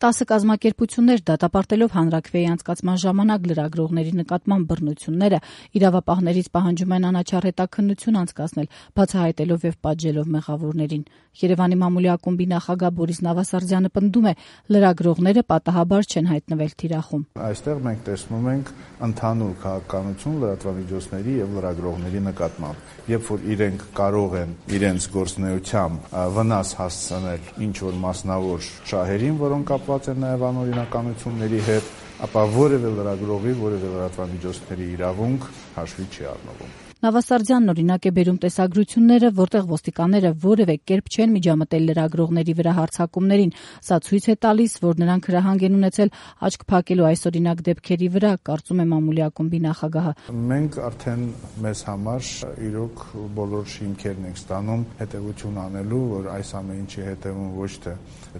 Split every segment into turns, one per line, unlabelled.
10 կազմակերպություններ դատապարտելով հանրաքվեի անցկացման ժամանակ լրագրողների նկատմամբ բռնությունները իրավապահներից պահանջում են անաչառ հետաքննություն անցկացնել, բացահայտելով եւ պատժելով մեղավորներին։ Երևանի մամուլի ակումբի նախագահ Բորիս Նավասարդյանը պնդում է, լրագրողները պատահաբար չեն հայտնվել թիրախում։
Այստեղ մենք տեսնում ենք ընդհանուր քաղաքականություն լրատվամիջոցների եւ լրագրողների նկատմամբ, երբ որ իրենք կարող են իրենց գործունեությամբ վնաս հասցնել ինչ որ մասնավոր շահերին, որոնք կապված են նաեւ անօրինականությունների հետ, ապա որևէ լրագրողի, որևէ լրատվամիջոցների իրավունք հաշվի չի առնվում։
Նավասարդյանն օրինակ է բերում տեսագրությունները, որտեղ ոստիկանները որևէ կերպ չեն միջամտել լրագրողների վրա հարձակումներին։ Սա ցույց է տալիս, որ նրանք հրահանգ են ունեցել աչք փակելու այսօրինակ դեպքերի վրա, կարծում է մամուլի ակումբի նախագահը։
Մենք արդեն մեզ համար իրոք բոլոր հիմքերն ենք ստանում հետևություն անելու, որ այս ամեն ինչի հետևում ոչ թե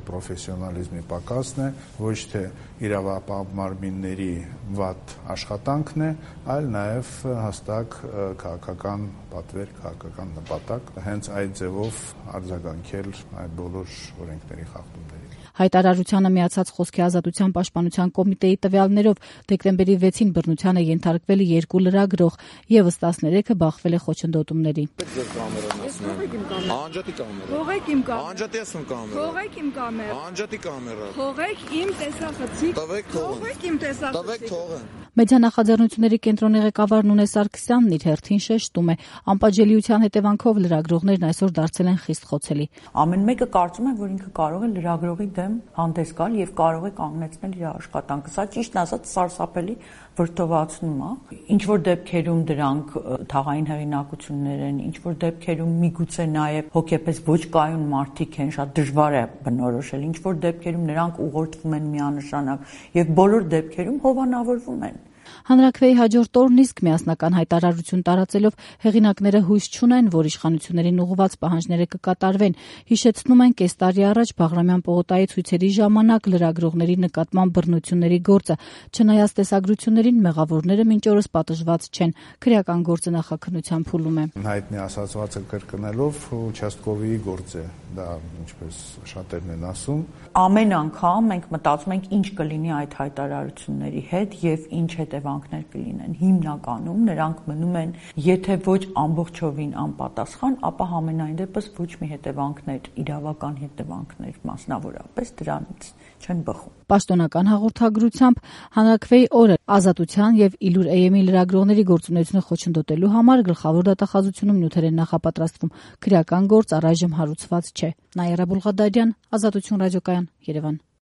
պրոֆեսիոնալիզմի պակասն է, ոչ թե իրավապահ մարմինների վատ աշխատանքն է, այլ նաև հստակ քաղաքական պատվեր, քաղաքական նպատակ, հենց այդ ձևով արձագանքել այդ բոլոր օրենքների խախտումներին։
Հայտարարությանը միացած Խոսքի ազատության պաշտպանության կոմիտեի տվյալներով դեկտեմբերի 6-ին բռնության է ենթարկվել 2 լրագրող, եւս 13-ը բախվել է խոչընդոտումների։ Մեդիանախաձեռնությունների կենտրոնի ղեկավար Նունե Սարգսյանն իր հերթին շեշտում է, անպատժելիության հետևանքով լրագրողներն այսօր դարձել են խիստ խոցելի։
Ամեն մեկը կարծում է, որ ինքը կարող է լրագրողի դեմ հանդես գալ եւ կարող է կանգնեցնել իր աշխատանքը։ Սա ճիշտն ասած սարսափելի վրդովացնում է։ Ինչ որ դեպքերում դրանք թաղային հեղինակություններ են, ինչ որ դեպքերում միգուցե նաեւ հոգեպես ոչ կայուն մարդիկ են, շատ դժվար է բնորոշել։ Ինչ որ դեպքերում նրանք ուղղորդվում են միանշանակ եւ բոլոր դեպքերում հովանավորվում են։
Հանրաքվեի հաջորդ օրն իսկ միասնական հայտարարություն տարածելով հեղինակները հույս չունեն, որ իշխանություններին ուղղված պահանջները կկատարվեն։ Հիշեցնում են, կես տարի առաջ Բաղրամյան պողոտայի ցույցերի ժամանակ լրագրողների նկատմամբ բռնությունների գործը, չնայած տեսագրություններին, մեղավորները մինչ օրս պատժված չեն։ Քրեական գործը նախաքննության փուլում է։
Հայտնի ասացվածը կրկնելով участковի գործ է, դա ինչպես շատերն են ասում։
Ամեն անգամ մենք մտածում ենք ինչ կլինի այդ հայտարարությունների հետ եւ ինչ հետևանքներ կլինեն։ Հիմնականում նրանք մնում են, եթե ոչ ամբողջովին անպատասխան, ապա համենայն դեպս ոչ մի հետևանքներ, իրավական հետևանքներ մասնավորապես դրանից չեն բխում։
Պաշտոնական հաղորդագրությամբ հանրաքվեի օրը Ազատության եւ Իլուր AM-ի լրագրողների գործունեությունը խոչընդոտելու համար գլխավոր դատախազությունում նյութեր են նախապատրաստվում։ Քրեական գործ առայժմ հարուցված չէ։ Նաիրա Բուլղադարյան, Ազատություն ռադիոկայան, Երևան։